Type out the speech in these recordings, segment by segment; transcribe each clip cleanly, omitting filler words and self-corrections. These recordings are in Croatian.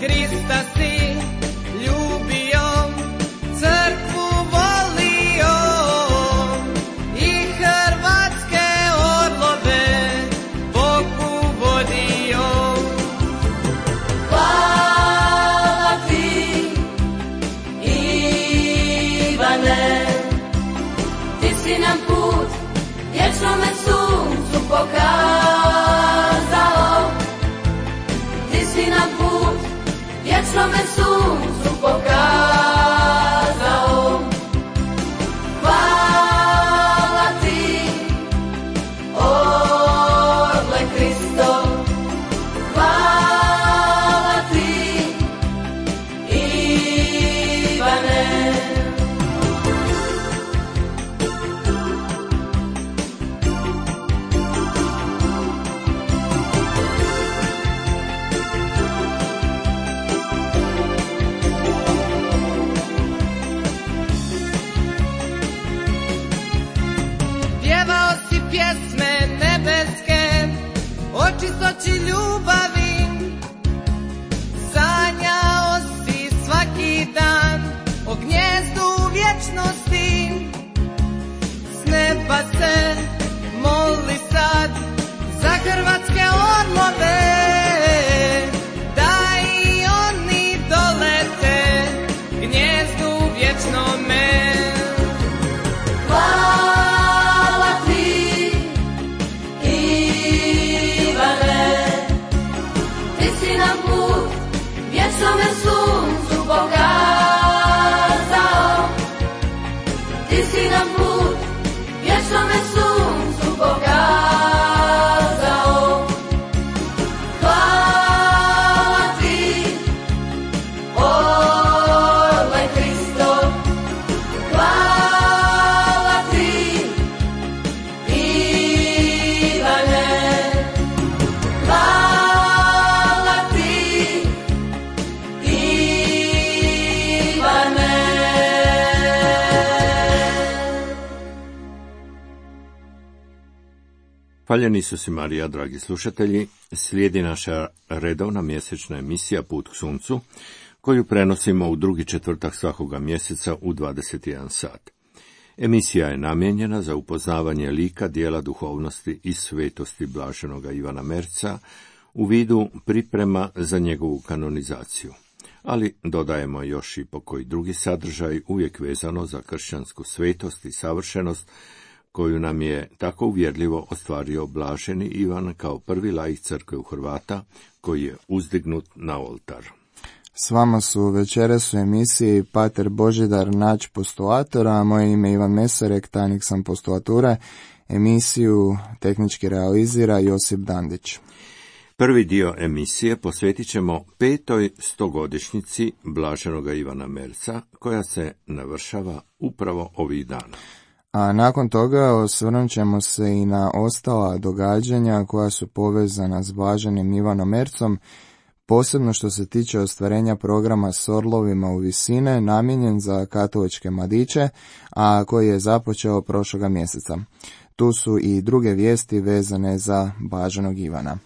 Krista si ljubio, crkvu volio i hrvatske orlove Bogu vodio. Hvala ti, Ivane, ti si nam put vječnome suncu pokazao. Ti si nam put vječnome suncu pokazao. Hvala ti, orle Kristo, hvala ti, Ivane. Pjevao si pjesme nebeske o čistoći ljubavi, sanjao si svaki dan o gnjezdu vječnosti. S neba se moli sad za hrvatske orlove, da i oni dolete gnjezdu vječnome. Hvala ti, Ivane, ti si nam put vječnome suncu pokazao. Ti si nam put vječnome suncu pokazao. Hvala ti, orle Kristo, hvala ti, Ivane, hvala ti, Ivane. Hvaljeni su si Marija, dragi slušatelji, slijedi naša redovna mjesečna emisija Put k suncu, koju prenosimo u drugi četvrtak svakoga mjeseca u 21 sat. Emisija je namijenjena za upoznavanje lika, dijela duhovnosti i svetosti blaženoga Ivana Merca u vidu priprema za njegovu kanonizaciju. Ali dodajemo još i pokoji drugi sadržaj, uvijek vezano za kršćansku svetost i savršenost, koju nam je tako uvjerljivo ostvario blaženi Ivan kao prvi laik crkve u Hrvata, koji je uzdignut na oltar. S vama su večeras u emisiji Pater Božidar Nač postulatora, a moje ime je Ivan Mesarek, tajnik sam postulature. Emisiju tehnički realizira Josip Dandić. Prvi dio emisije posvetit ćemo 5. stogodišnjici blaženoga Ivana Merca, koja se navršava upravo ovih dana. A nakon toga osvrnut ćemo se i na ostala događanja koja su povezana s blaženim Ivanom Mercom, posebno što se tiče ostvarenja programa s orlovima u visine, namijenjen za katoličke mladiće, a koji je započeo prošloga mjeseca. Tu su i druge vijesti vezane za blaženog Ivana.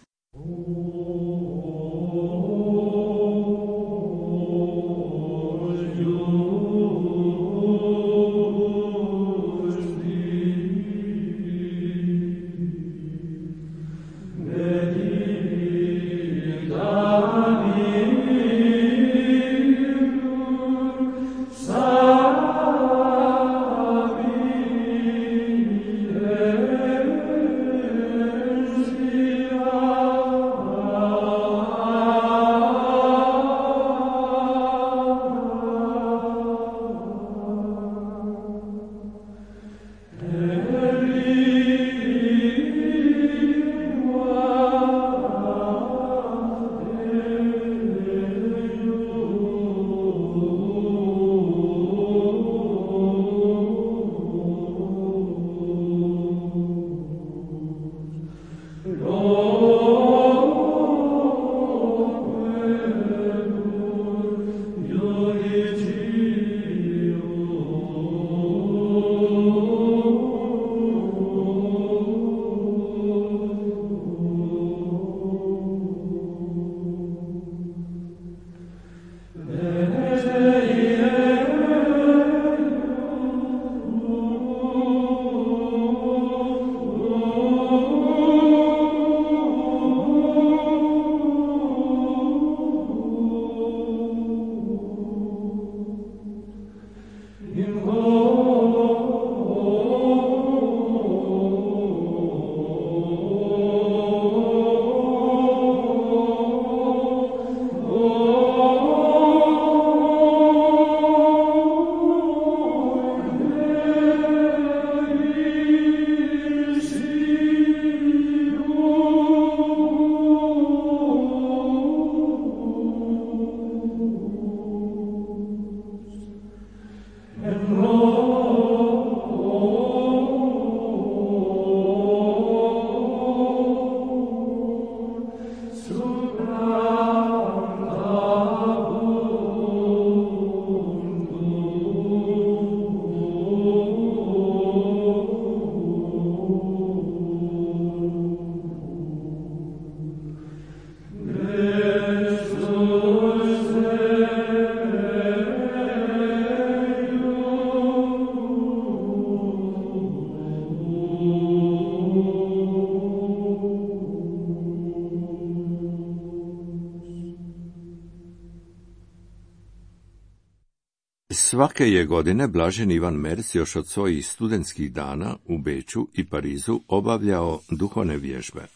Svake je godine blaženi Ivan Merc još od svojih studentskih dana u Beču i Parizu obavljao duhovne vježbe.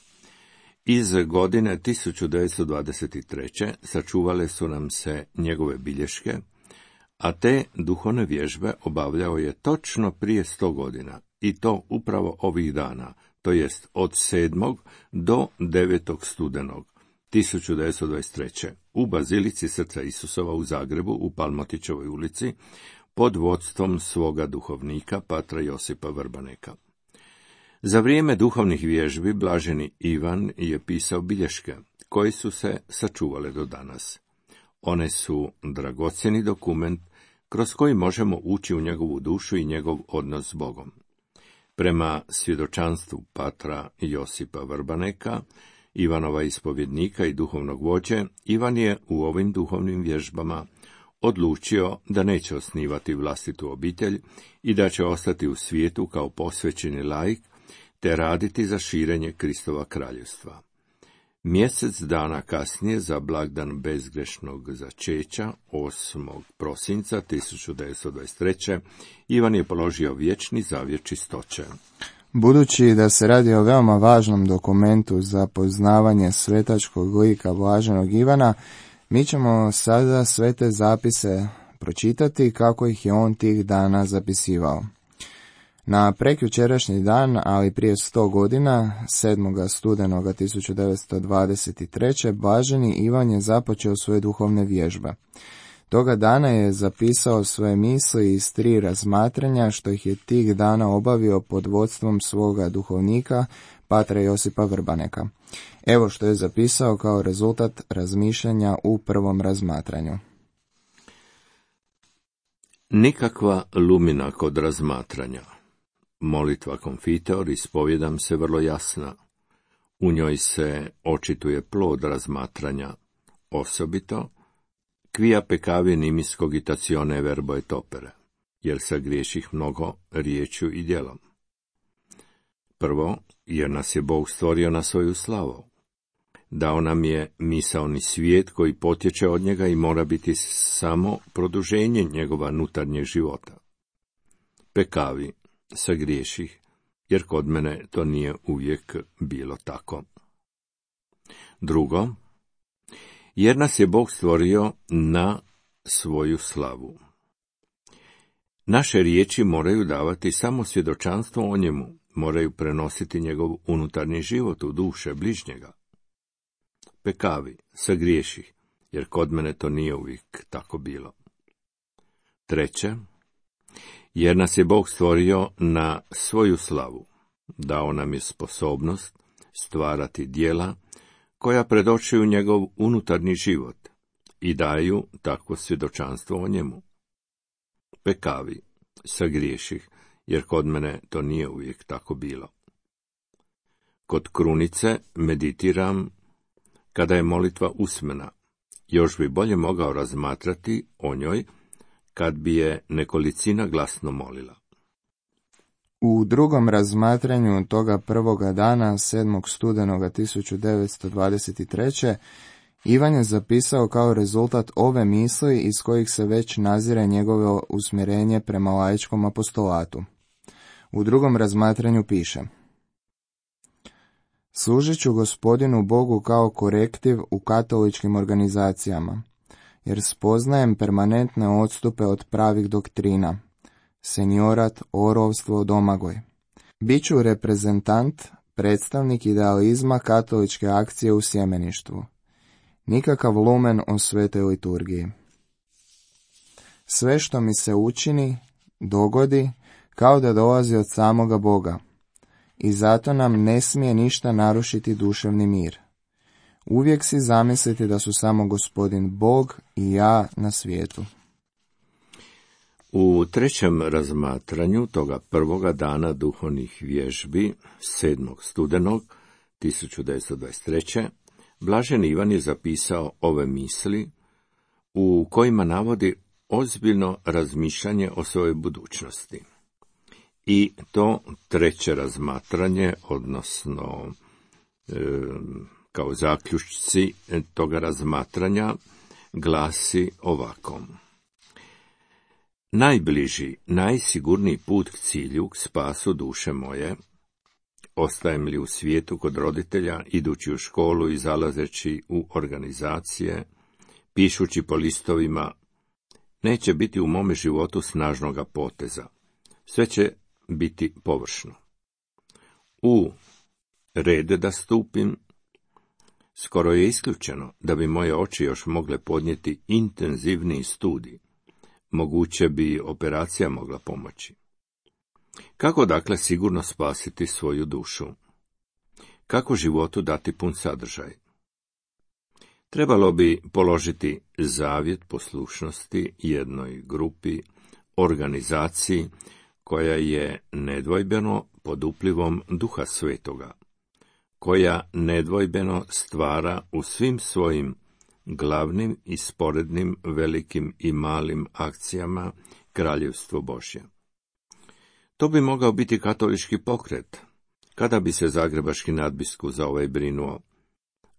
Iz godine 1923. sačuvale su nam se njegove bilješke, a te duhovne vježbe obavljao je točno prije 100 godina, i to upravo ovih dana, to jest od 7. do 9. studenog 1923. u Bazilici Srca Isusova u Zagrebu u Palmotićevoj ulici pod vodstvom svoga duhovnika patra Josipa Vrbaneka. Za vrijeme duhovnih vježbi blaženi Ivan je pisao bilješke, koje su se sačuvale do danas. One su dragocjeni dokument kroz koji možemo ući u njegovu dušu i njegov odnos s Bogom. Prema svjedočanstvu patra Josipa Vrbaneka, Ivanova ispovjednika i duhovnog vođe, Ivan je u ovim duhovnim vježbama odlučio da neće osnivati vlastitu obitelj i da će ostati u svijetu kao posvećeni laik, te raditi za širenje Kristova kraljevstva. Mjesec dana kasnije, za blagdan bezgrešnog začeća, 8. prosinca 1923. Ivan je položio vječni zavjet čistoće. Budući da se radi o veoma važnom dokumentu za poznavanje svetačkog lika blaženog Ivana, mi ćemo sada sve te zapise pročitati kako ih je on tih dana zapisivao. Na prekjučerašnji dan, ali prije 100 godina, 7. studenoga 1923. blaženi Ivan je započeo svoje duhovne vježbe. Toga dana je zapisao svoje misli iz 3 razmatranja, što ih je tih dana obavio pod vodstvom svoga duhovnika, patra Josipa Vrbaneka. Evo što je zapisao kao rezultat razmišljanja u prvom razmatranju. Nikakva lumina kod razmatranja. Molitva Konfitor, ispovjedam se, vrlo jasna. U njoj se očituje plod razmatranja, osobito quia peccavi nimis cogitatione verbo et opere, jer sagriješih mnogo riječju i djelom. Prvo, jer nas je Bog stvorio na svoju slavu. Dao nam je misaoni svijet koji potječe od njega i mora biti samo produženje njegova unutarnjeg života. Pekavi, sagriješih, jer kod mene to nije uvijek bilo tako. Drugo, jer nas je Bog stvorio na svoju slavu. Naše riječi moraju davati samo svjedočanstvo o njemu, moraju prenositi njegov unutarnji život u duše bližnjega. Pekavi, sagriješih, jer kod mene to nije uvijek tako bilo. Treće, jer nas je Bog stvorio na svoju slavu, dao nam je sposobnost stvarati djela koja predočuju njegov unutarnji život i daju takvo svjedočanstvo o njemu. Pekavi, sagriješih, jer kod mene to nije uvijek tako bilo. Kod krunice meditiram kada je molitva usmena, još bi bolje mogao razmatrati o njoj kad bi je nekolicina glasno molila. U drugom razmatranju toga prvoga dana, 7. studenoga 1923. Ivan je zapisao kao rezultat ove misli iz kojih se već nazire njegovo usmjerenje prema laičkom apostolatu. U drugom razmatranju piše: služit ću Gospodinu Bogu kao korektiv u katoličkim organizacijama, jer spoznajem permanentne odstupe od pravih doktrina, seniorat, orovstvo, domagoj. Biću reprezentant, predstavnik idealizma katoličke akcije u sjemeništvu. Nikakav lumen o svetoj liturgiji. Sve što mi se učini, dogodi, kao da dolazi od samoga Boga, i zato nam ne smije ništa narušiti duševni mir. Uvijek si zamislite da su samo Gospodin Bog i ja na svijetu. U trećem razmatranju toga prvoga dana duhovnih vježbi, 7. studenog 1923. blaženi Ivan je zapisao ove misli u kojima navodi ozbiljno razmišljanje o svojoj budućnosti. I to treće razmatranje, odnosno kao zaključci toga razmatranja, glasi ovako: Najbliži, najsigurniji put k cilju, k spasu duše moje, ostajem li u svijetu kod roditelja, idući u školu i zalazeći u organizacije, pišući po listovima, neće biti u mome životu snažnoga poteza. Sve će biti površno. U red da stupim, skoro je isključeno da bi moje oči još mogle podnijeti intenzivniji studij. Moguće bi operacija mogla pomoći. Kako dakle sigurno spasiti svoju dušu? Kako životu dati pun sadržaj? Trebalo bi položiti zavjet poslušnosti jednoj grupi, organizaciji koja je nedvojbeno pod uplivom Duha Svetoga, koja nedvojbeno stvara u svim svojim glavnim i sporednim velikim i malim akcijama Kraljevstvo Božje. To bi mogao biti katolički pokret, kada bi se zagrebački nadbiskup za ovaj brinuo,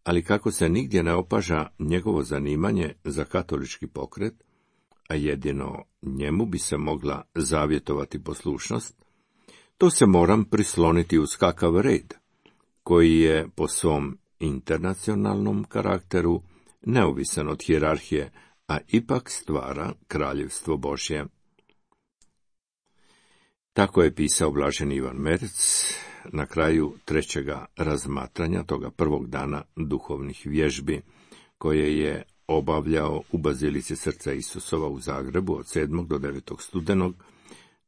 ali kako se nigdje ne opaža njegovo zanimanje za katolički pokret, a jedino njemu bi se mogla zavjetovati poslušnost, to se moram prisloniti uz kakav red, koji je po svom internacionalnom karakteru neovisan od hijerarhije, a ipak stvara Kraljevstvo Božje. Tako je pisao blaženi Ivan Merc na kraju trećega razmatranja toga prvog dana duhovnih vježbi, koje je obavljao u Bazilici Srca Isusova u Zagrebu od 7. do 9. studenog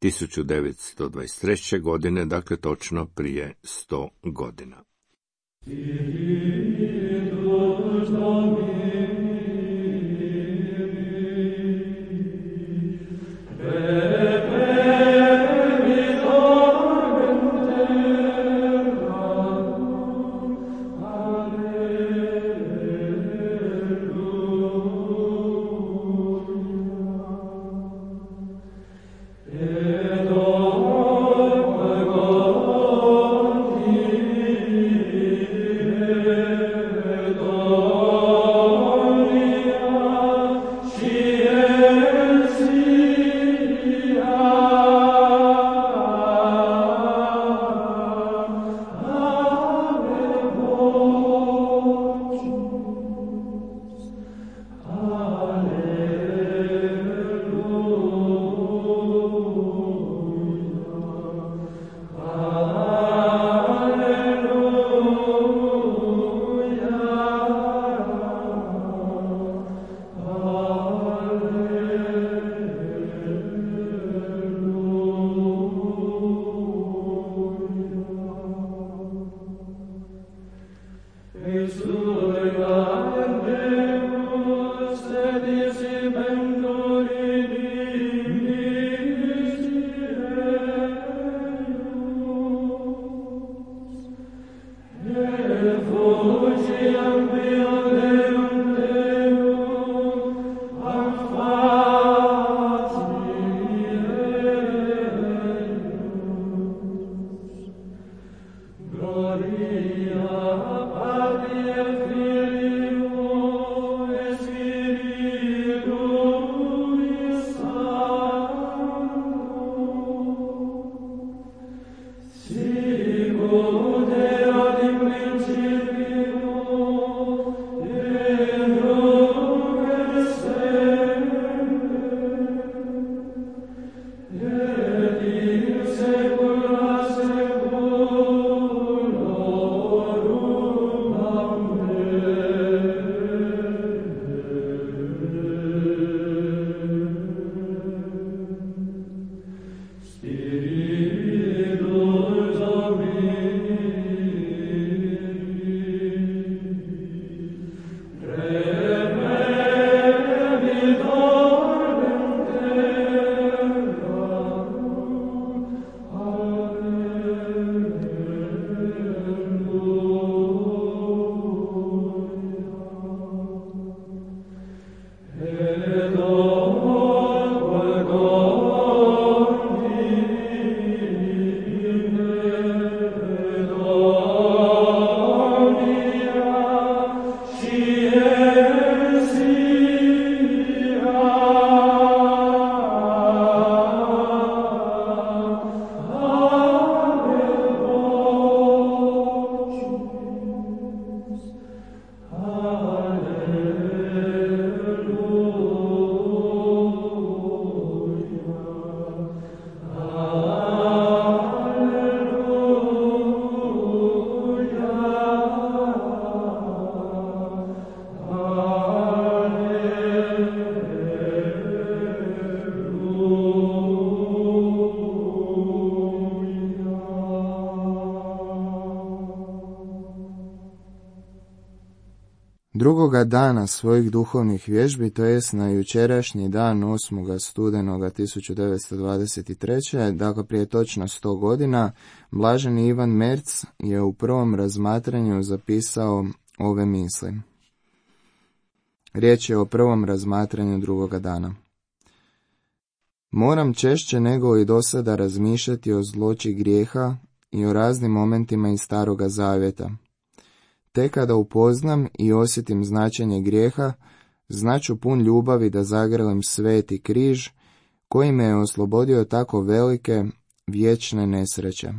1923. godine, dakle točno prije 100 godina. Oh Drugoga dana svojih duhovnih vježbi, to jest na jučerašnji dan 8. studenoga 1923. dakle prije točno 100 godina, blaženi Ivan Merc je u prvom razmatranju zapisao ove misli. Riječ je o prvom razmatranju drugoga dana. Moram češće nego i do sada razmišljati o zloći grijeha i o raznim momentima iz Staroga Zavjeta. Te kada upoznam i osjetim značenje grijeha, znaću pun ljubavi da zagrlim sveti križ, koji me je oslobodio tako velike, vječne nesreće.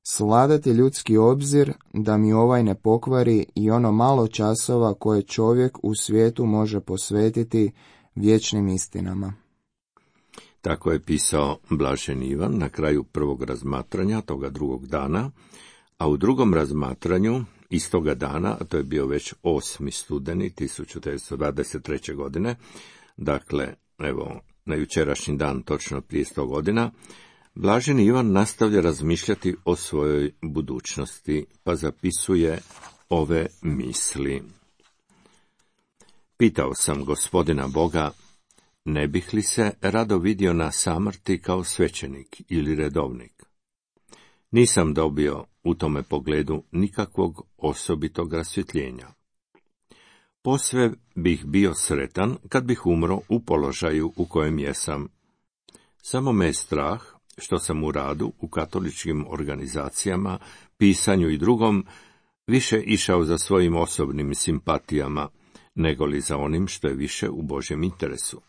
Svladati ljudski obzir da mi ovaj ne pokvari i ono malo časova koje čovjek u svijetu može posvetiti vječnim istinama. Tako je pisao blaženi Ivan na kraju prvog razmatranja toga drugog dana, a u drugom razmatranju istoga dana, a to je bio već 8. studeni 1923. godine, dakle, evo, na jučerašnji dan, točno prije 100 godina, blaženi Ivan nastavlja razmišljati o svojoj budućnosti, pa zapisuje ove misli. Pitao sam Gospodina Boga, ne bih li se rado vidio na samrti kao svećenik ili redovnik? Nisam dobio u tome pogledu nikakvog osobitog rasvjetljenja. Posve bih bio sretan kad bih umro u položaju u kojem jesam. Samo me je strah što sam u radu u katoličkim organizacijama, pisanju i drugom više išao za svojim osobnim simpatijama, nego li za onim što je više u Božjem interesu.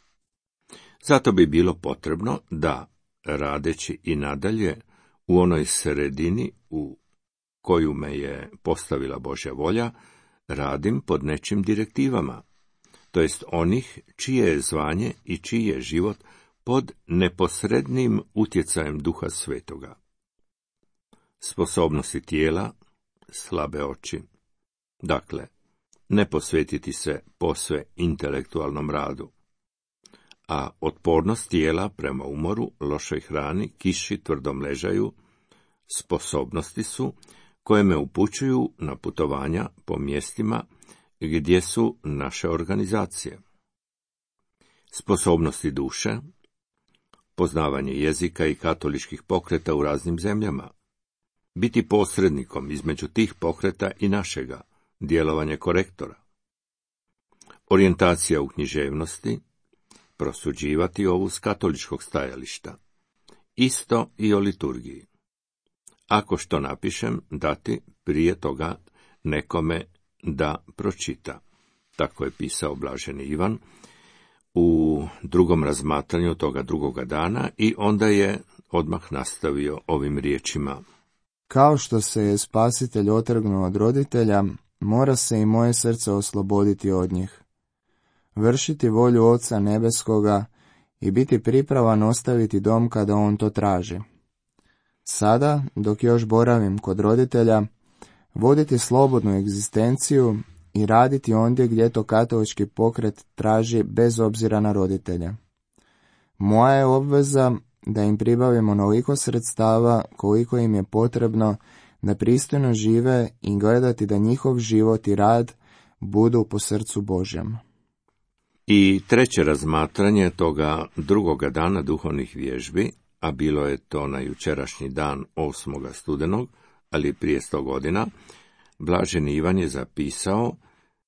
Zato bi bilo potrebno da, radeći i nadalje u onoj sredini u koju me je postavila Božja volja, radim pod nečim direktivama, to jest onih čije je zvanje i čiji je život pod neposrednim utjecajem Duha Svetoga. Sposobnosti tijela, slabe oči. Dakle, ne posvetiti se posve intelektualnom radu. A otpornost tijela prema umoru, lošoj hrani, kiši, tvrdom ležaju, sposobnosti su koje me upućuju na putovanja po mjestima gdje su naše organizacije. Sposobnosti duše, poznavanje jezika i katoličkih pokreta u raznim zemljama, biti posrednikom između tih pokreta i našega, djelovanje korektora, orijentacija u književnosti, prosuđivati ovu s katoličkog stajališta, isto i o liturgiji. Ako što napišem, dati prije toga nekome da pročita. Tako je pisao blaženi Ivan u drugom razmatranju toga drugoga dana i onda je odmah nastavio ovim riječima. Kao što se je Spasitelj otrgnuo od roditelja, mora se i moje srce osloboditi od njih. Vršiti volju Oca Nebeskoga i biti pripravan ostaviti dom kada on to traži. Sada, dok još boravim kod roditelja, voditi slobodnu egzistenciju i raditi ondje gdje to katolički pokret traži bez obzira na roditelje. Moja je obveza da im pribavim onoliko sredstava koliko im je potrebno da pristojno žive i gledati da njihov život i rad budu po srcu Božjem. I treće razmatranje toga drugoga dana duhovnih vježbi, a bilo je to na jučerašnji dan 8. studenog, ali prije 100 godina, blaženi Ivan je zapisao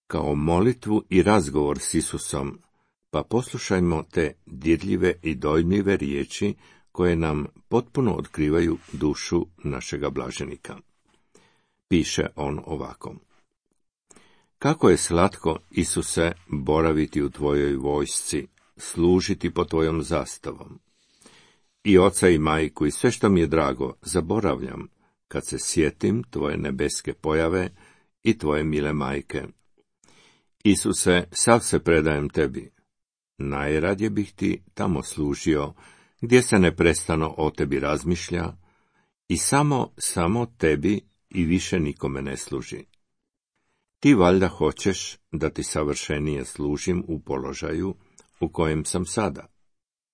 kao molitvu i razgovor s Isusom, pa poslušajmo te dirljive i dojmljive riječi koje nam potpuno otkrivaju dušu našega blaženika. Piše on ovako. Kako je slatko, Isuse, boraviti u tvojoj vojsci, služiti pod tvojom zastavom. I oca i majku i sve što mi je drago zaboravljam, kad se sjetim tvoje nebeske pojave i tvoje mile majke. Isuse, sav se predajem tebi. Najradije bih ti tamo služio, gdje se neprestano o tebi razmišlja i samo tebi i više nikome ne služi. Ti valjda hoćeš da ti savršenije služim u položaju u kojem sam sada.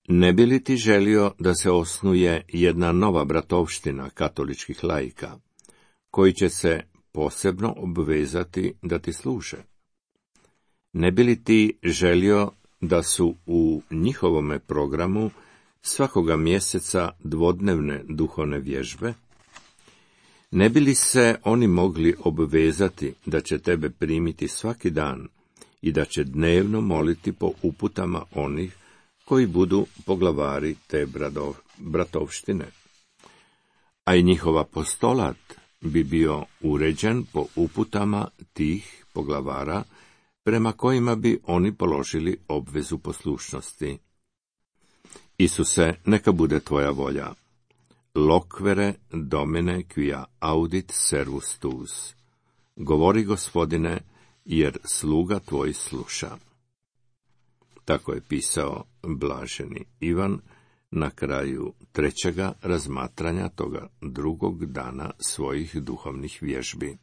Ne bi li ti želio da se osnuje jedna nova bratovština katoličkih laika, koji će se posebno obvezati da ti služe? Ne bi li ti želio da su u njihovome programu svakoga mjeseca dvodnevne duhovne vježbe? Ne bi li se oni mogli obvezati da će tebe primiti svaki dan i da će dnevno moliti po uputama onih koji budu poglavari te bratovštine? A i njihov apostolat bi bio uređen po uputama tih poglavara, prema kojima bi oni položili obvezu poslušnosti. Isuse, neka bude tvoja volja. Loquere domine quia audit servus tuus. Govori, Gospodine, jer sluga tvoj sluša. Tako je pisao blaženi Ivan na kraju 3. razmatranja toga drugog dana svojih duhovnih vježbi.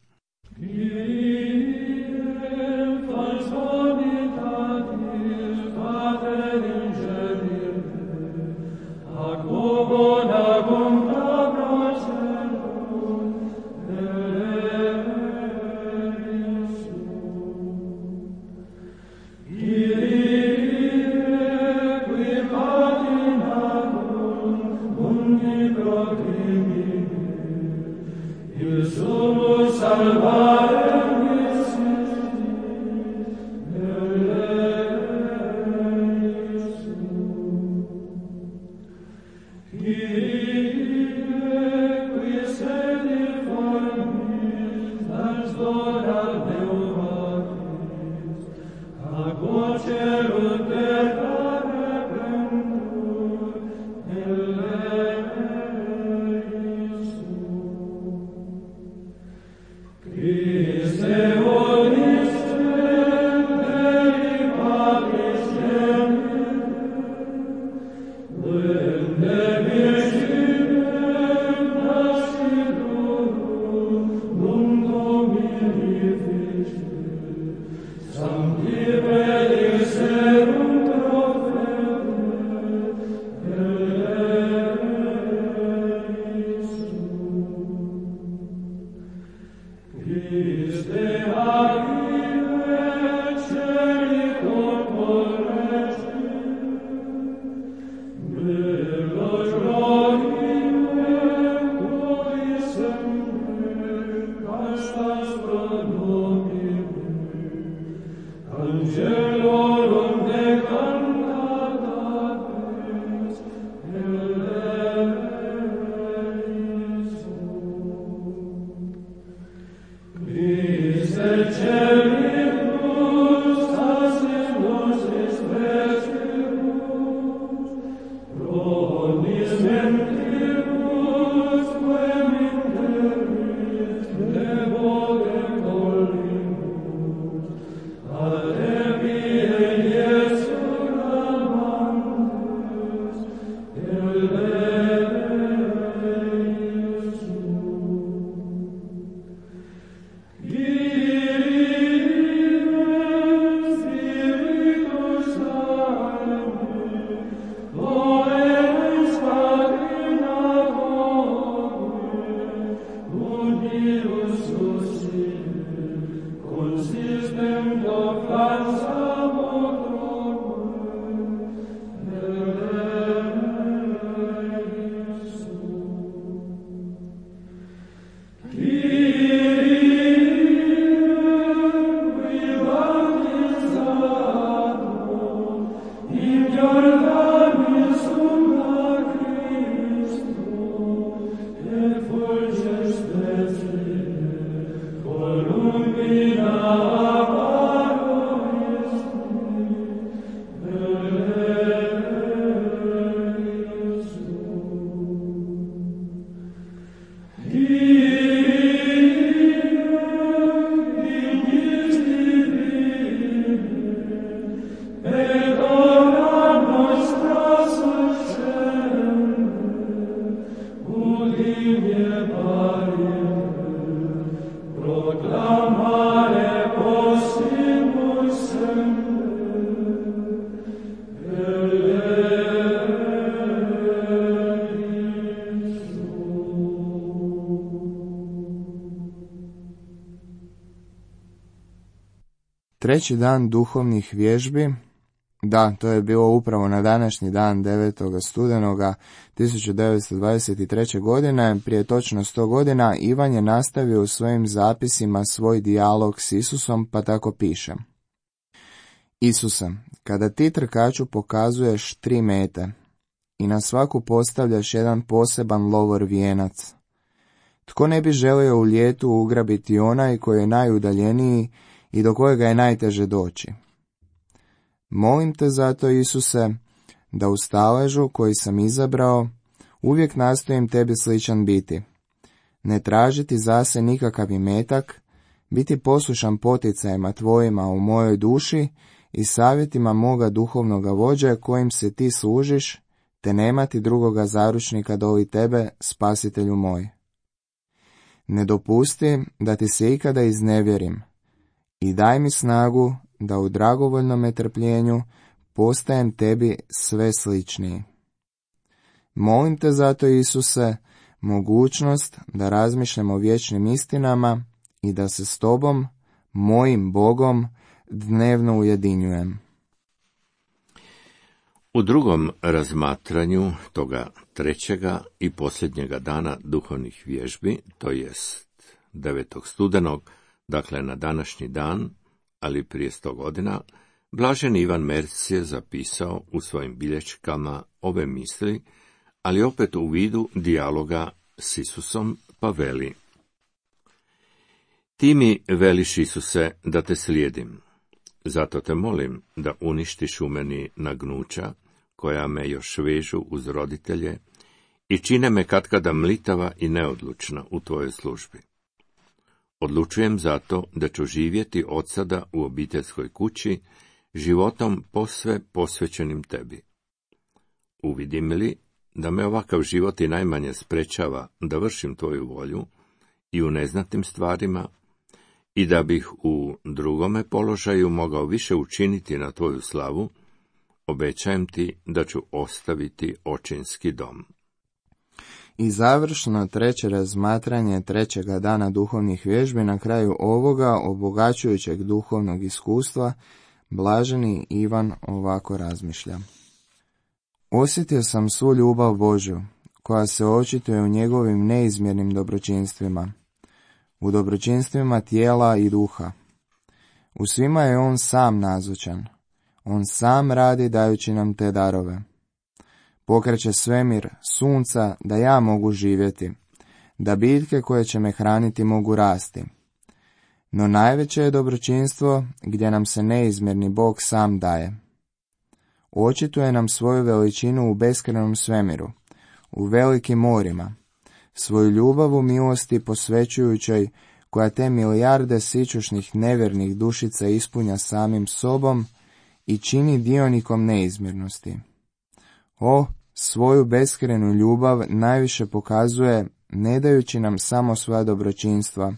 Sancti Treći dan duhovnih vježbi, da, to je bilo upravo na današnji dan 9. studenoga 1923. godine, prije točno 100 godina, Ivan je nastavio u svojim zapisima svoj dijalog s Isusom, pa tako piše. Isuse, kada ti trkaču pokazuješ 3 mete i na svaku postavljaš jedan poseban lovor vijenac, tko ne bi želio u ljetu ugrabiti onaj koji je najudaljeniji i do kojega je najteže doći? Molim te zato, Isuse, da u staležu koji sam izabrao uvijek nastojim tebi sličan biti, ne tražiti zase nikakav imetak, biti poslušan poticajima tvojima u mojoj duši i savjetima moga duhovnoga vođa kojim se ti služiš, te nemati drugoga zaručnika doli tebe, spasitelju moj. Ne dopusti da ti se ikada iznevjerim i daj mi snagu da u dragovoljnom trpljenju postajem tebi sve sličniji. Molim te zato, Isuse, mogućnost da razmišljam o vječnim istinama i da se s tobom, mojim Bogom, dnevno ujedinjujem. U drugom razmatranju toga trećega i posljednjega dana duhovnih vježbi, to jest 9. studenog, dakle na današnji dan, ali prije 100 godina, blaženi Ivan Merc je zapisao u svojim bilješkama ove misli, ali opet u vidu dijaloga s Isusom, pa veli: Ti mi veliš, Isuse, da te slijedim, zato te molim da uništiš u meni nagnuća koja me još vežu uz roditelje i čine me katkada mlitava i neodlučna u tvojoj službi. Odlučujem zato da ću živjeti od sada u obiteljskoj kući, životom posve posvećenim tebi. Uvidim li da me ovakav život i najmanje sprečava da vršim tvoju volju i u neznatnim stvarima, i da bih u drugome položaju mogao više učiniti na tvoju slavu, obećajem ti da ću ostaviti očinski dom. I završno treće razmatranje trećega dana duhovnih vježbi na kraju ovoga obogaćujućeg duhovnog iskustva, blaženi Ivan ovako razmišlja. Osjetio sam svu ljubav Božju, koja se očituje u njegovim neizmjernim dobročinstvima, u dobročinstvima tijela i duha. U svima je on sam nazočan, on sam radi dajući nam te darove. Pokreće svemir, sunca, da ja mogu živjeti, da biljke koje će me hraniti mogu rasti. No najveće je dobročinstvo gdje nam se neizmjerni Bog sam daje. Očituje nam svoju veličinu u beskrajnom svemiru, u velikim morima, svoju ljubav u milosti posvećujućoj, koja te milijarde sićušnih nevjernih dušica ispunja samim sobom i čini dionikom neizmjernosti. O, svoju beskrajnu ljubav najviše pokazuje ne dajući nam samo svoja dobročinstva,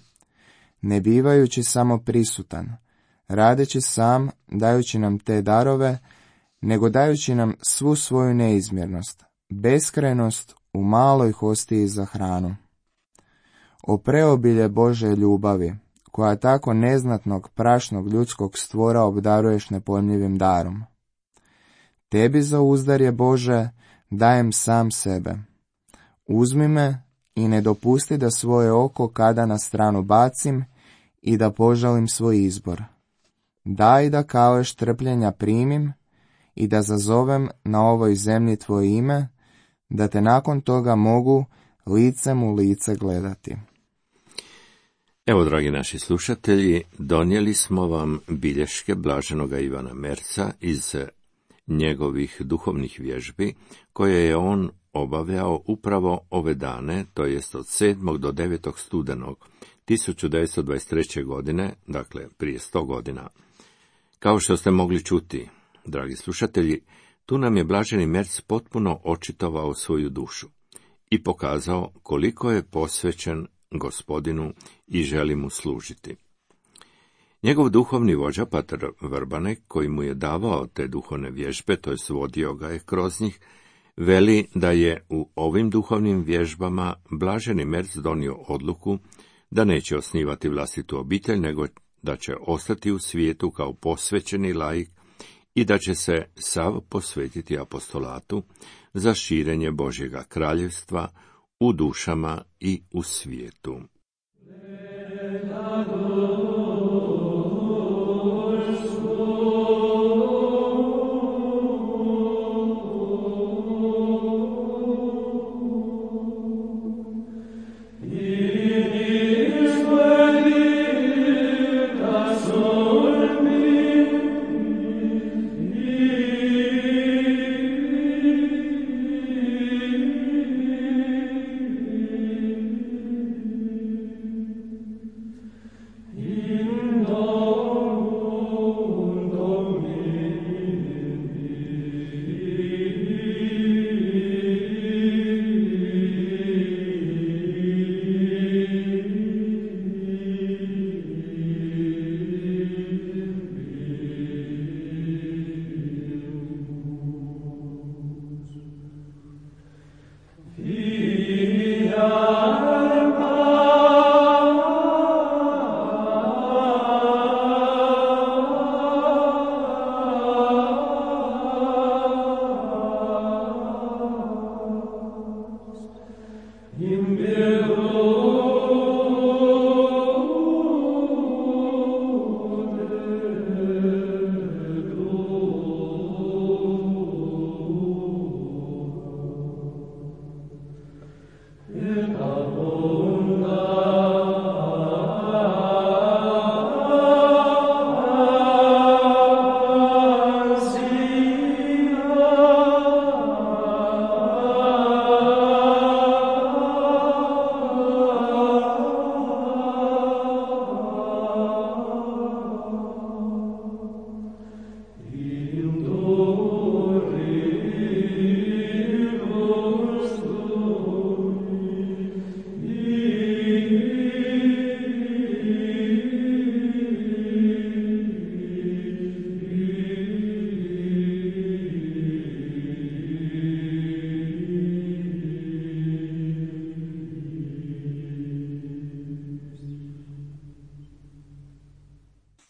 ne bivajući samo prisutan, radeći sam, dajući nam te darove, nego dajući nam svu svoju neizmjernost, beskrajnost u maloj hostiji za hranu. O preobilje Božje ljubavi, koja tako neznatnog prašnog ljudskog stvora obdaruješ nepojmljivim darom. Tebi za uzdarje Bože dajem sam sebe. Uzmi me i ne dopusti da svoje oko kada na stranu bacim i da požalim svoj izbor. Daj da kaleš trpljenja primim i da zazovem na ovoj zemlji tvoje ime, da te nakon toga mogu licem u lice gledati. Evo, dragi naši slušatelji, donijeli smo vam bilješke blaženoga Ivana Merca iz njegovih duhovnih vježbi, koje je on obavljao upravo ove dane, to jest od 7. do 9. studenog 1923. godine, dakle prije 100 godina. Kao što ste mogli čuti, dragi slušatelji, tu nam je blaženi Merc potpuno očitovao svoju dušu i pokazao koliko je posvećen Gospodinu i želi mu služiti. Njegov duhovni vođa, pater Vrbanek, koji mu je davao te duhovne vježbe, to jest vodio ga je kroz njih, veli da je u ovim duhovnim vježbama blaženi Merc donio odluku da neće osnivati vlastitu obitelj, nego da će ostati u svijetu kao posvećeni laik i da će se sav posvetiti apostolatu za širenje Božjega kraljevstva u dušama i u svijetu.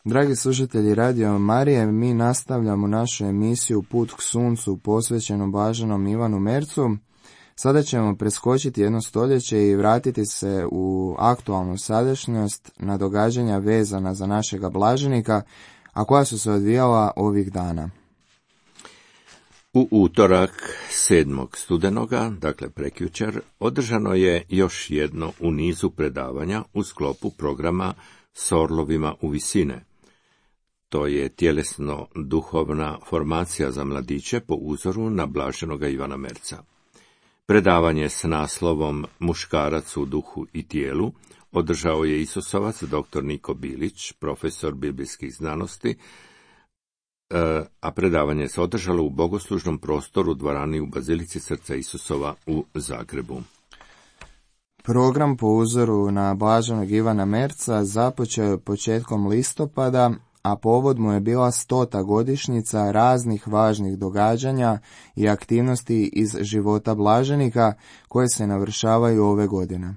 Dragi slušatelji Radio Marije, mi nastavljamo našu emisiju Put k suncu posvećenu blaženom Ivanu Mercu. Sada ćemo preskočiti jedno stoljeće i vratiti se u aktualnu sadašnjost na događanja vezana za našega blaženika, a koja su se odvijala ovih dana. U utorak 7. studenoga, dakle prekjučer, održano je još jedno u nizu predavanja u sklopu programa S orlovima u visine. To je tjelesno-duhovna formacija za mladiće po uzoru na blaženoga Ivana Merca. Predavanje s naslovom Muškarac u duhu i tijelu održao je Isusovac dr. Niko Bilić, profesor biblijskih znanosti, a predavanje se održalo u bogoslužnom prostoru dvorani u Bazilici Srca Isusova u Zagrebu. Program po uzoru na blaženog Ivana Merca započeo je početkom listopada, a povod mu je bila 100. godišnjica raznih važnih događanja i aktivnosti iz života blaženika koje se navršavaju ove godine.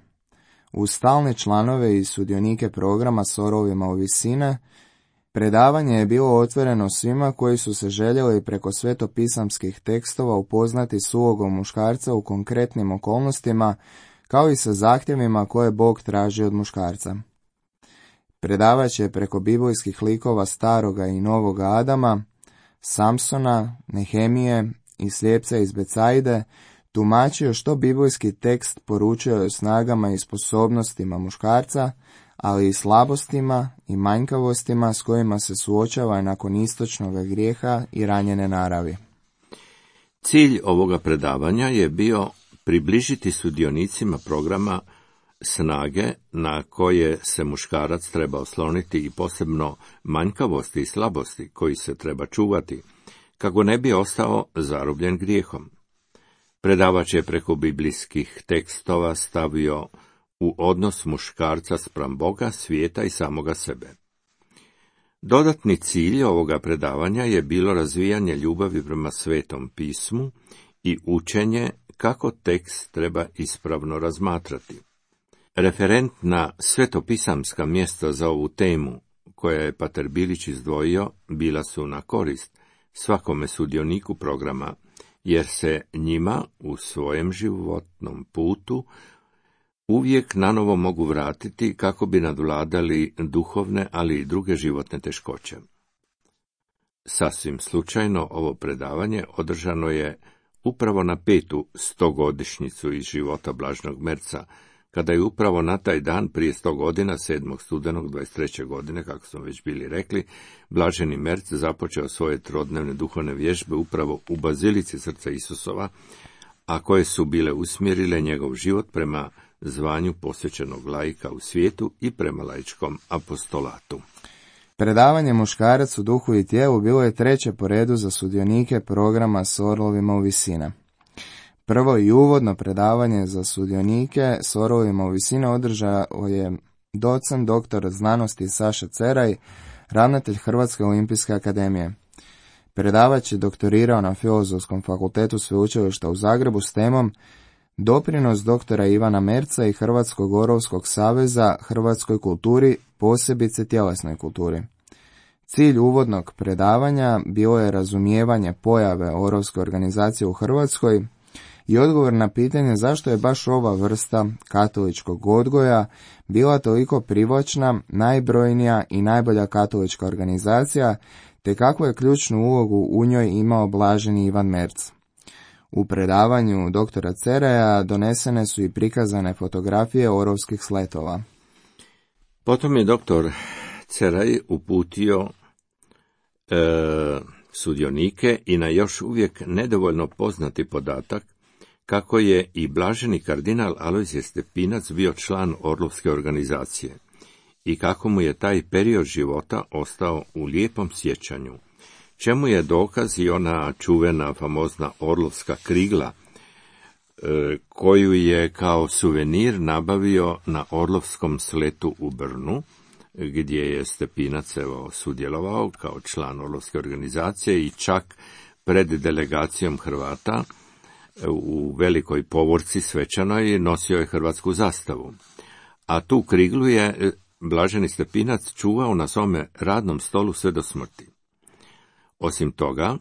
Uz stalne članove i sudionike programa S orlovima u visine, predavanje je bilo otvoreno svima koji su se željeli preko svetopisamskih tekstova upoznati s ulogom muškarca u konkretnim okolnostima, kao i sa zahtjevima koje Bog traži od muškarca. Predavač je preko biblijskih likova staroga i novoga Adama, Samsona, Nehemije i slijepca iz Becajde tumačio što biblijski tekst poručuje o snagama i sposobnostima muškarca, ali i slabostima i manjkavostima s kojima se suočava nakon istočnog grijeha i ranjene naravi. Cilj ovoga predavanja je bio približiti sudionicima programa snage na koje se muškarac treba osloniti i posebno manjkavosti i slabosti koji se treba čuvati, kako ne bi ostao zarobljen grijehom. Predavač je preko biblijskih tekstova stavio u odnos muškarca spram Boga, svijeta i samoga sebe. Dodatni cilj ovoga predavanja je bilo razvijanje ljubavi prema Svetom pismu i učenje kako tekst treba ispravno razmatrati. Referent na svetopisamska mjesta za ovu temu koja je pater Bilić izdvojio bila su na korist svakome sudioniku programa, jer se njima u svojem životnom putu uvijek nanovo mogu vratiti kako bi nadvladali duhovne, ali i druge životne teškoće. Sasvim slučajno ovo predavanje održano je upravo na 5. 100-godišnjicu iz života Blaženog Merca, kada je upravo na taj dan prije 100 godina, 7. studenog 23. godine, kako smo već bili rekli, Blaženi Merc započeo svoje trodnevne duhovne vježbe upravo u Bazilici Srca Isusova, a koje su bile usmjerile njegov život prema zvanju posvećenog laika u svijetu i prema laičkom apostolatu. Predavanje Muškarac u duhu i tijelu bilo je 3. po redu za sudionike programa s orlovima u visine. Prvo i uvodno predavanje za sudionike s orlovima u visine održao je docent doktor znanosti Saša Ceraj, ravnatelj Hrvatske olimpijske akademije. Predavač je doktorirao na Filozofskom fakultetu Sveučilišta u Zagrebu s temom Doprinos doktora Ivana Merca i Hrvatskog orovskog saveza hrvatskoj kulturi, posebice tjelesnoj kulturi. Cilj uvodnog predavanja bilo je razumijevanje pojave orovske organizacije u Hrvatskoj i odgovor na pitanje zašto je baš ova vrsta katoličkog odgoja bila toliko privlačna, najbrojnija i najbolja katolička organizacija, te kakvu je ključnu ulogu u njoj imao Blaženi Ivan Merc. U predavanju doktora Ceraja donesene su i prikazane fotografije orovskih sletova. Potom je doktor Ceraj uputio sudionike i na još uvijek nedovoljno poznati podatak kako je i blaženi kardinal Alojzije Stepinac bio član Orlovske organizacije i kako mu je taj period života ostao u lijepom sjećanju, čemu je dokaz i ona čuvena famozna orlovska krigla, koju je kao suvenir nabavio na orlovskom sletu u Brnu, gdje je Stepinac sudjelovao kao član Orlovske organizacije i čak pred delegacijom Hrvata u velikoj povorci svečanoj nosio je hrvatsku zastavu. A tu kriglu je Blaženi Stepinac čuvao na svome radnom stolu sve do smrti. Osim toga,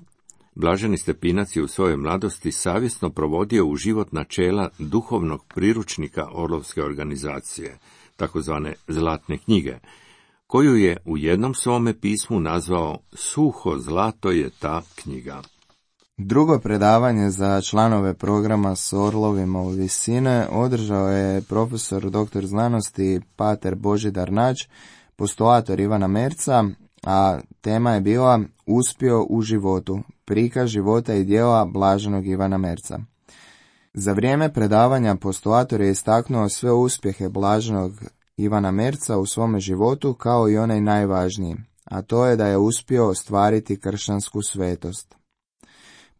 Blaženi Stepinac je u svojoj mladosti savjesno provodio u život načela duhovnog priručnika Orlovske organizacije, takozvane Zlatne knjige, koju je u jednom svome pismu nazvao Suho zlato je ta knjiga. Drugo predavanje za članove programa s orlovima u visine održao je profesor doktor znanosti pater Božidar Nađ, postulator Ivana Merca, a tema je bila Uspio u životu, prikaz života i djela Blaženog Ivana Merca. Za vrijeme predavanja postulator je istaknuo sve uspjehe Blaženog Ivana Merca u svome životu kao i onaj najvažniji, a to je da je uspio ostvariti kršćansku svetost.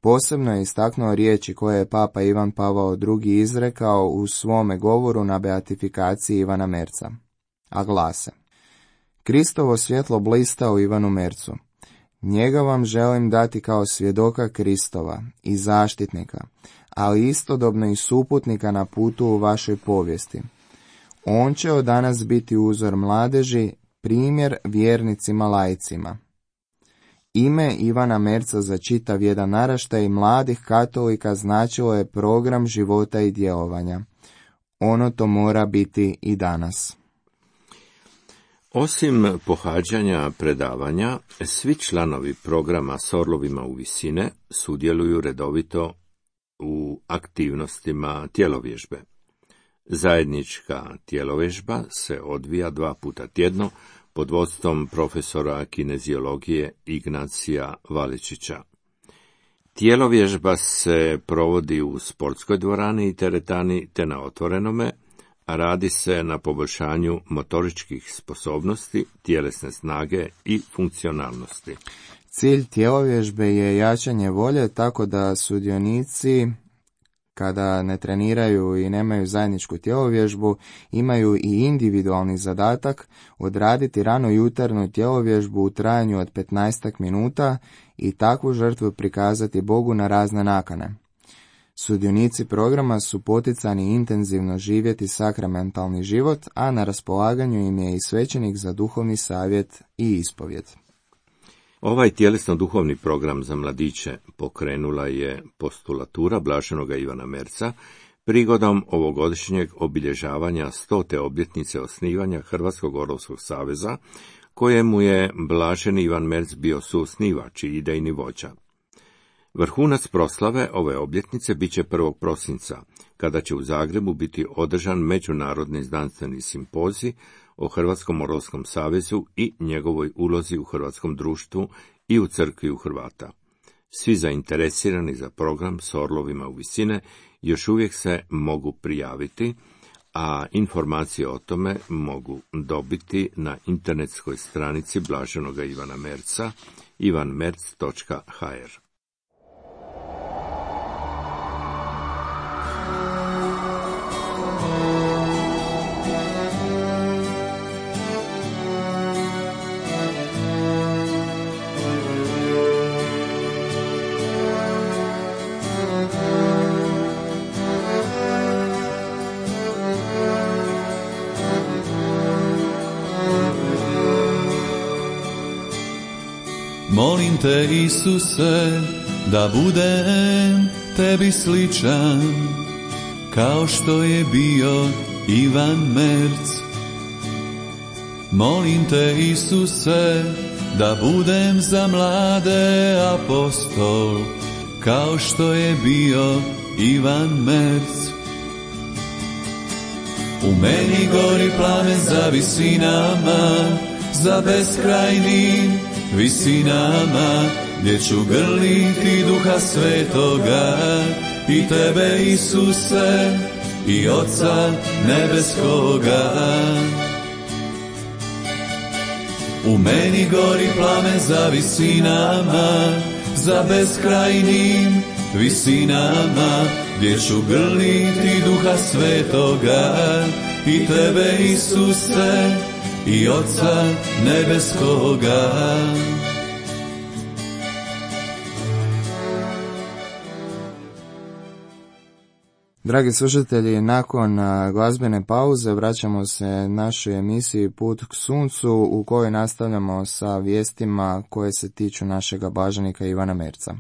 Posebno je istaknuo riječi koje je papa Ivan Pavao II. Izrekao u svome govoru na beatifikaciji Ivana Merca, a glase: Kristovo svjetlo blista u Ivanu Mercu. Njega vam želim dati kao svjedoka Kristova i zaštitnika, ali istodobno i suputnika na putu u vašoj povijesti. On će od danas biti uzor mladeži, primjer vjernicima laicima. Ime Ivana Merca za čitav jedan naraštaj mladih katolika značilo je program života i djelovanja. Ono to mora biti i danas. Osim pohađanja predavanja, svi članovi programa s orlovima u visine sudjeluju redovito u aktivnostima tjelovježbe. Zajednička tjelovježba se odvija 2 puta tjedno pod vodstvom profesora kineziologije Ignacija Valičića. Tjelovježba se provodi u sportskoj dvorani i teretani te na otvorenome, a radi se na poboljšanju motoričkih sposobnosti, tjelesne snage i funkcionalnosti. Cilj tjelovježbe je jačanje volje tako da sudionici, kada ne treniraju i nemaju zajedničku tjelovježbu, imaju i individualni zadatak odraditi rano jutarnju tjelovježbu u trajanju od 15 minuta i takvu žrtvu prikazati Bogu na razne nakane. Sudionici programa su poticani intenzivno živjeti sakramentalni život, a na raspolaganju im je i svećenik za duhovni savjet i ispovjed. Ovaj tjelesno-duhovni program za mladiće pokrenula je postulatura blaženoga Ivana Merca prigodom ovogodišnjeg obilježavanja 100. obljetnice osnivanja Hrvatskog orovskog saveza, kojemu je blaženi Ivan Merc bio suosnivač i idejni vođa. Vrhunac proslave ove obljetnice bit će 1. prosinca, kada će u Zagrebu biti održan međunarodni znanstveni simpozij o Hrvatskom orovskom savezu i njegovoj ulozi u hrvatskom društvu i u crkvi u Hrvata. Svi zainteresirani za program s orlovima u visine još uvijek se mogu prijaviti, a informacije o tome mogu dobiti na internetskoj stranici blaženoga Ivana Merca ivanmerc.hr. Molim te, Isuse, da budem tebi sličan, kao što je bio Ivan Merc. Molim te, Isuse, da budem za mlade apostol, kao što je bio Ivan Merc. U meni gori plamen za visinama, za beskrajnim visinama, gdje ću grliti Duha Svetoga i tebe, Isuse, i Oca nebeskoga. U meni gori plamen za visinama, za beskrajnim visinama, gdje ću grliti Duha Svetoga i tebe, Isuse, i Oca nebeskoga. Dragi slušatelji, nakon glazbene pauze vraćamo se našoj emisiji Put k suncu, u kojoj nastavljamo sa vijestima koje se tiču našega blaženika Ivana Merca.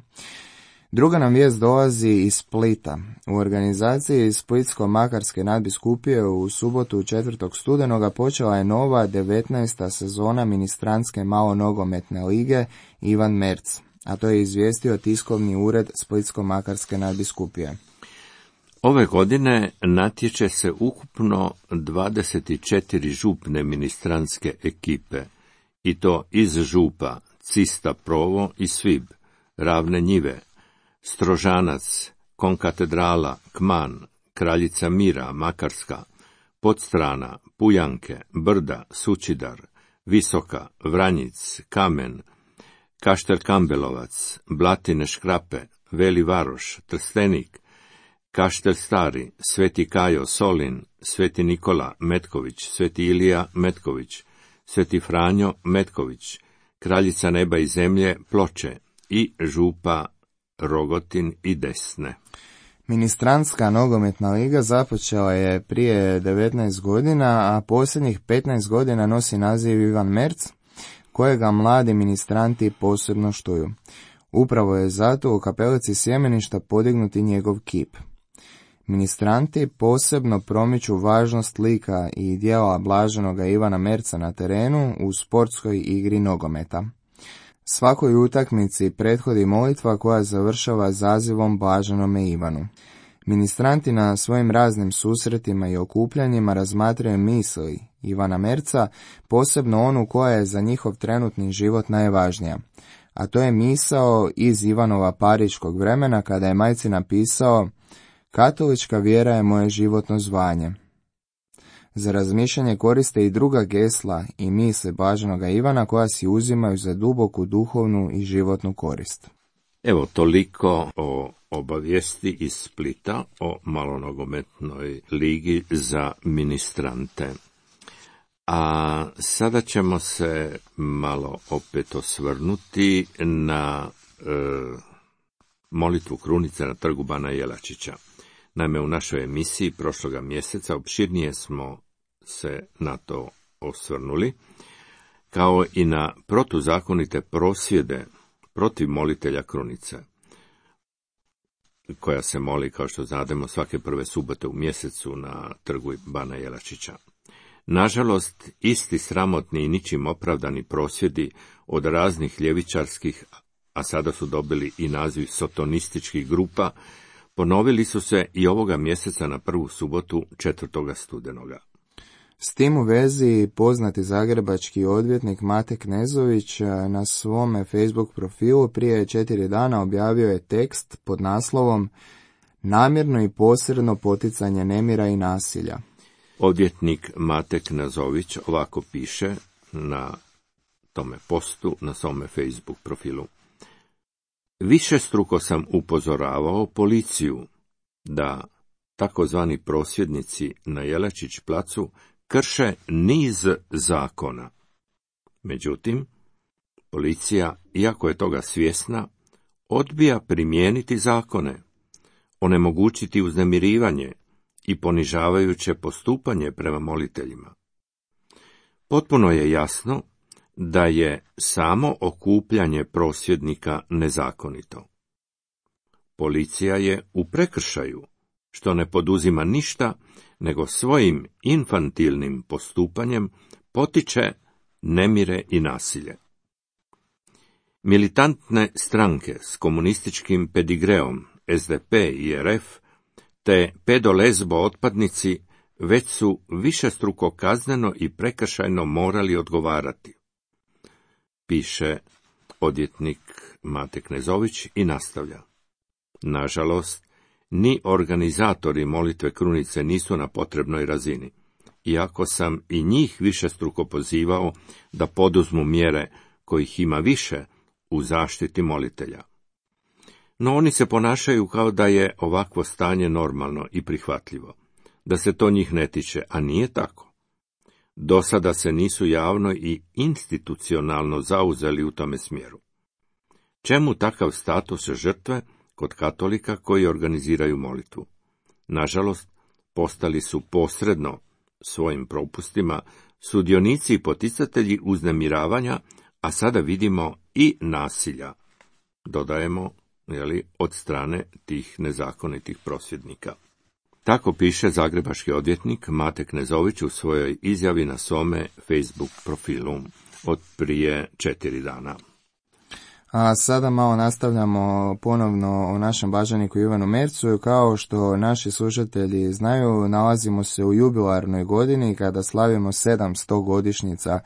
Druga nam vijest dolazi iz Splita. U organizaciji Splitsko-makarske nadbiskupije u subotu 4. studenoga počela je nova 19. sezona ministrantske malonogometne lige Ivan Merc, a to je izvijestio tiskovni ured Splitsko-makarske nadbiskupije. Ove godine natječe se ukupno 24 župne ministrantske ekipe, i to iz župa Cista Provo i Svib, Ravne Njive, Strožanac, Konkatedrala, Kman, Kraljica Mira, Makarska, Podstrana, Pujanke, Brda, Sučidar, Visoka, Vranjic, Kamen, Kaštel Kambelovac, Blatine Škrape, Veli Varoš, Trstenik, Kaštel Stari, Sveti Kajo, Solin, Sveti Nikola, Metković, Sveti Ilija, Metković, Sveti Franjo, Metković, Kraljica neba i zemlje, Ploče i župa Rogotin i Desne. Ministrantska nogometna liga započela je prije 19 godina, a posljednjih 15 godina nosi naziv Ivan Merc, kojega mladi ministranti posebno štuju. Upravo je zato u kapelici Sjemeništa podignuti njegov kip. Ministranti posebno promiču važnost lika i djela blaženoga Ivana Merca na terenu u sportskoj igri nogometa. Svakoj utakmici prethodi molitva koja završava zazivom blaženome Ivanu. Ministranti na svojim raznim susretima i okupljanjima razmatraju misli Ivana Merca, posebno onu koja je za njihov trenutni život najvažnija, a to je misao iz Ivanova pariškog vremena kada je majci napisao: katolička vjera je moje životno zvanje. Za razmišljanje koriste i druga gesla i misli blaženoga Ivana koja si uzimaju za duboku duhovnu i životnu korist. Evo toliko o obavijesti iz Splita o malonogometnoj ligi za ministrante. A sada ćemo se malo opet osvrnuti na molitvu krunice na trgu Bana Jelačića. Naime, u našoj emisiji prošloga mjeseca opširnije smo se na to osvrnuli, kao i na protuzakonite prosvjede protiv molitelja krunice, koja se moli, kao što znademo, svake prve subote u mjesecu na trgu Bana Jelačića. Nažalost, isti sramotni i ničim opravdani prosvjedi od raznih ljevičarskih, a sada su dobili i naziv sotonističkih grupa, ponovili su se i ovoga mjeseca na prvu subotu 4. studenoga. S tim u vezi poznati zagrebački odvjetnik Mate Knezović na svome Facebook profilu prije 4 dana objavio je tekst pod naslovom "Namjerno i posredno poticanje nemira i nasilja". Odvjetnik Mate Knezović ovako piše na tome postu na svome Facebook profilu. Višestruko sam upozoravao policiju da takozvani prosvjednici na Jelačić placu krše niz zakona. Međutim, policija, iako je toga svjesna, odbija primijeniti zakone, onemogućiti uznemirivanje i ponižavajuće postupanje prema moliteljima. Potpuno je jasno da je samo okupljanje prosvjednika nezakonito. Policija je u prekršaju, što ne poduzima ništa, nego svojim infantilnim postupanjem potiče nemire i nasilje. Militantne stranke s komunističkim pedigreom, SDP i RF, te pedolezbo otpadnici već su višestruko kazneno i prekršajno morali odgovarati, piše odvjetnik Mate Knezović i nastavlja. Nažalost, ni organizatori molitve krunice nisu na potrebnoj razini, iako sam i njih višestruko pozivao da poduzmu mjere kojih ima više u zaštiti molitelja. No oni se ponašaju kao da je ovakvo stanje normalno i prihvatljivo, da se to njih ne tiče, a nije tako. Do sada se nisu javno i institucionalno zauzeli u tome smjeru. Čemu takav status žrtve kod katolika koji organiziraju molitvu? Nažalost, postali su posredno svojim propustima sudionici i poticatelji uznemiravanja, a sada vidimo i nasilja, dodajemo, od strane tih nezakonitih prosvjednika. Tako piše zagrebački odvjetnik Mate Knezović u svojoj izjavi na svome Facebook profilu od prije 4 dana. A sada malo nastavljamo ponovno o našem blaženiku Ivanu Mercu. Kao što naši slušatelji znaju, nalazimo se u jubilarnoj godini kada slavimo 700 godišnjica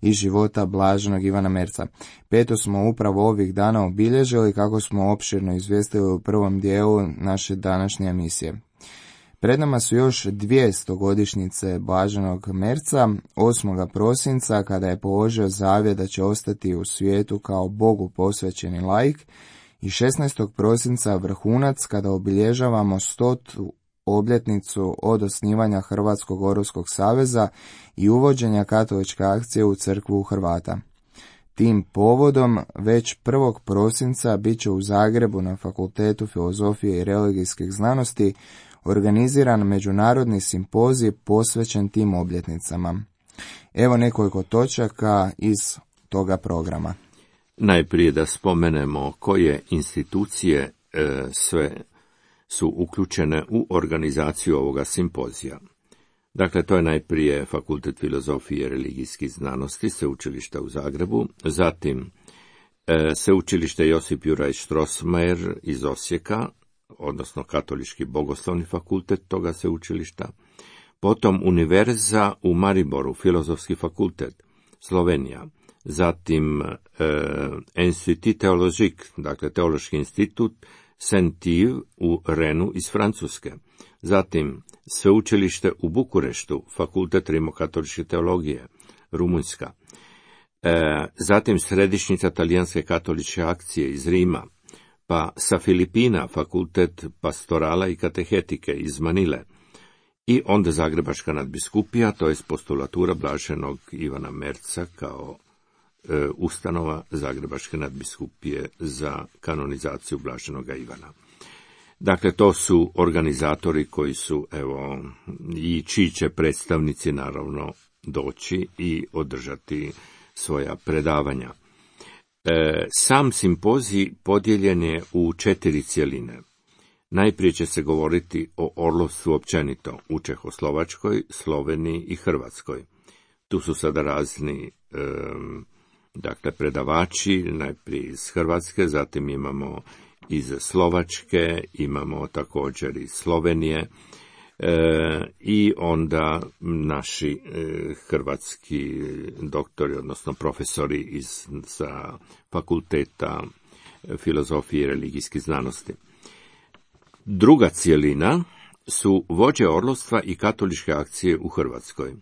iz života blaženog Ivana Merca. 5. smo upravo ovih dana obilježili, kako smo opširno izvijestili u prvom dijelu naše današnje emisije. Pred nama su još 200 godišnjice blaženog Merca, 8. prosinca kada je položio zavjet da će ostati u svijetu kao Bogu posvećeni laik, i 16. prosinca vrhunac kada obilježavamo 100. obljetnicu od osnivanja Hrvatskog orlovskog saveza i uvođenja katoličke akcije u crkvu Hrvata. Tim povodom već 1. prosinca bit će u Zagrebu na Fakultetu filozofije i religijskih znanosti organiziran međunarodni simpozij posvećen tim obljetnicama. Evo nekoliko točaka iz toga programa. Najprije da spomenemo koje institucije sve su uključene u organizaciju ovoga simpozija. Dakle, to je najprije Fakultet filozofije i religijskih znanosti, Sveučilišta u Zagrebu, zatim Sveučilište Josip Juraj Strossmayer iz Osijeka, odnosno Katolički bogoslovni fakultet toga sveučilišta, potom Univerza u Mariboru, Filozofski fakultet, Slovenija, zatim Institut Théologique, dakle Teološki institut, Saint-Yves u Renu iz Francuske, zatim Sveučilište u Bukureštu, Fakultet rimokatoličke teologije, Rumunjska, zatim Središnjica talijanske katoličke akcije iz Rima, pa sa Filipina Fakultet pastorala i katehetike iz Manile, i onda Zagrebačka nadbiskupija, to je postulatura blaženog Ivana Merca kao ustanova Zagrebačke nadbiskupije za kanonizaciju blaženoga Ivana. Dakle, to su organizatori koji su, i čiji će predstavnici naravno doći i održati svoja predavanja. Sam simpozij podijeljen je u 4 cjeline. Najprije će se govoriti o orlovstvu općenito u Čehoslovačkoj, Sloveniji i Hrvatskoj. Tu su sada razni predavači, najprije iz Hrvatske, zatim imamo iz Slovačke, imamo također iz Slovenije i onda naši hrvatski doktori, odnosno profesori sa fakulteta filozofije i religijskih znanosti. Druga cjelina su vođe orlovstva i katoličke akcije u Hrvatskoj.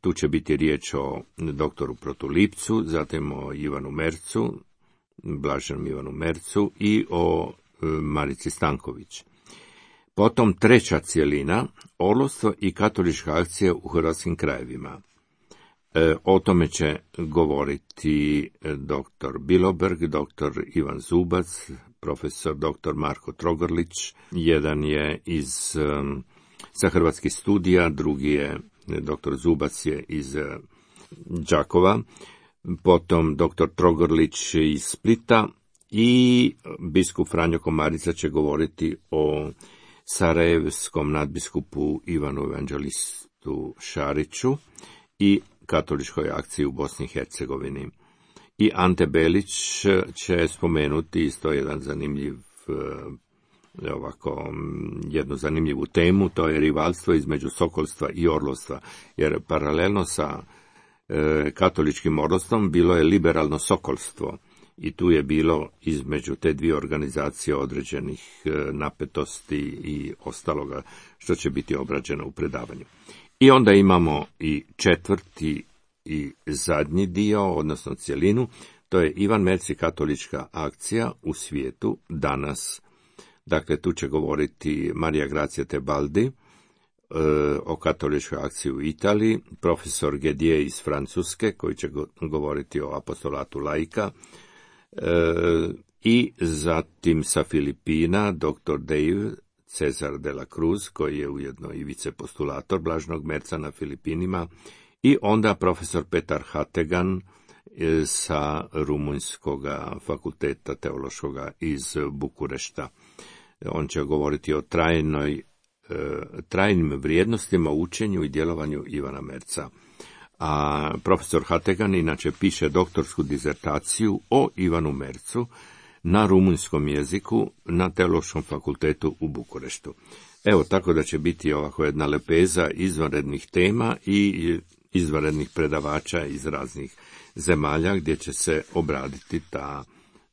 Tu će biti riječ o doktoru Protulipcu, zatim o Ivanu Mercu, blaženom Ivanu Mercu i o Marici Stanković. Potom treća cjelina, orlovstvo i katolička akcija u hrvatskim krajevima. O tome će govoriti dr. Biloberg, dr. Ivan Zubac, profesor dr. Marko Trogorlić, jedan je sa Hrvatskih studija, drugi je, dr. Zubac je iz Đakova, potom dr. Trogorlić iz Splita i biskup Franjo Komarica će govoriti o sarajevskom nadbiskupu Ivanu Evanđelistu Šariću i katoličkoj akciji u Bosni i Hercegovini. I Ante Belić će spomenuti isto jednu zanimljivu temu, to je rivalstvo između sokolstva i orlovstva, jer paralelno sa katoličkim orlovstvom bilo je liberalno sokolstvo i tu je bilo između te dvije organizacije određenih napetosti i ostaloga što će biti obrađeno u predavanju. I onda imamo i četvrti i zadnji dio, odnosno cjelinu, to je Ivan Merci katolička akcija u svijetu danas. Dakle, tu će govoriti Marija Grazia Tebaldi o katoličkoj akciji u Italiji, profesor Gedier iz Francuske koji će govoriti o apostolatu laika, i zatim sa Filipina dr. Dave Cesar de la Cruz koji je ujedno i vicepostulator blaženog Merca na Filipinima, i onda profesor Petar Hategan sa Rumunjskog fakulteta teološkoga iz Bukurešta. On će govoriti o trajnim vrijednostima, učenju i djelovanju Ivana Merca. A profesor Hategan inače piše doktorsku dizertaciju o Ivanu Mercu na rumunjskom jeziku na Teološkom fakultetu u Bukureštu. Evo, tako da će biti ovako jedna lepeza izvanrednih tema i izvanrednih predavača iz raznih zemalja gdje će se obraditi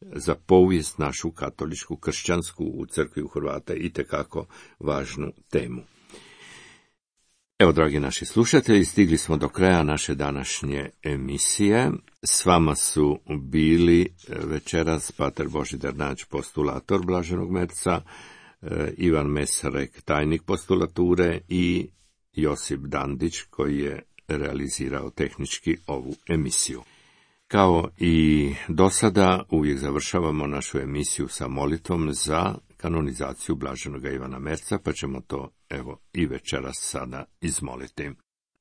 za povijest našu katoličku, kršćansku u crkvi u Hrvata itekako važnu temu. Evo, dragi naši slušatelji, stigli smo do kraja naše današnje emisije. S vama su bili večeras pater Božidar Nađ, postulator blaženog Merca, Ivan Mesarek, tajnik postulature, i Josip Dandić, koji je realizirao tehnički ovu emisiju. Kao i do sada, uvijek završavamo našu emisiju sa molitvom za kanonizaciju blaženoga Ivana Merca, pa ćemo to i večeras sada izmoliti.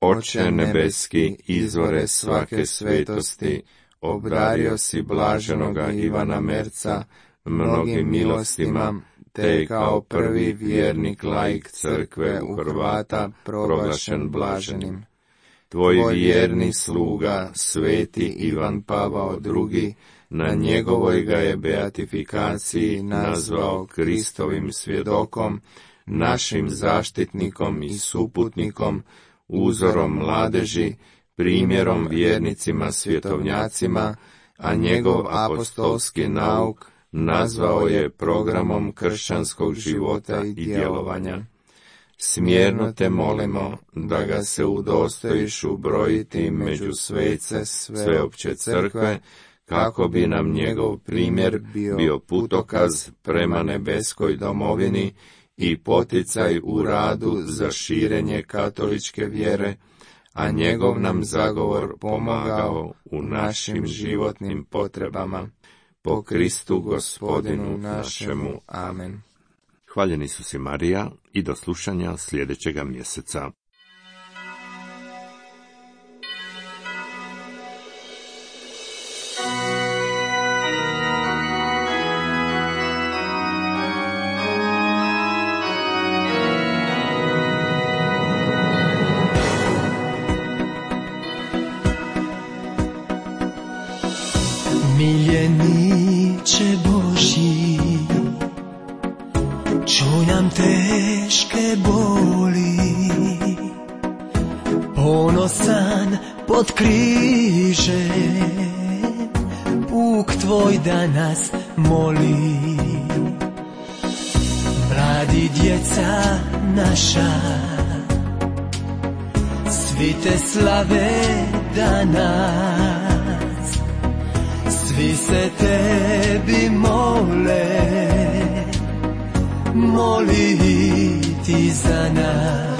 Oče nebeski, izvore svake svetosti, obdario si blaženoga Ivana Merca mnogim milostima, te kao prvi vjernik laik crkve u Hrvata proglašen blaženim. Tvoj vjerni sluga, sveti Ivan Pavao II, na njegovoj ga je beatifikaciji nazvao Kristovim svjedokom, našim zaštitnikom i suputnikom, uzorom mladeži, primjerom vjernicima svjetovnjacima, a njegov apostolski nauk nazvao je programom kršćanskog života i djelovanja. Smjerno te molimo da ga se udostojiš ubrojiti među svece sveopće crkve, kako bi nam njegov primjer bio putokaz prema nebeskoj domovini i poticaj u radu za širenje katoličke vjere, a njegov nam zagovor pomagao u našim životnim potrebama. Po Kristu Gospodinu našemu. Amen. Hvaljeni su si Marija i do slušanja sljedećega mjeseca. Miljeniče Božji, čuj nam teške boli, ponosan pod križe, puk tvoj da nas moli. Mladi djeca naša, svi te slave danas, svi se tebi mole, moli ti za nas.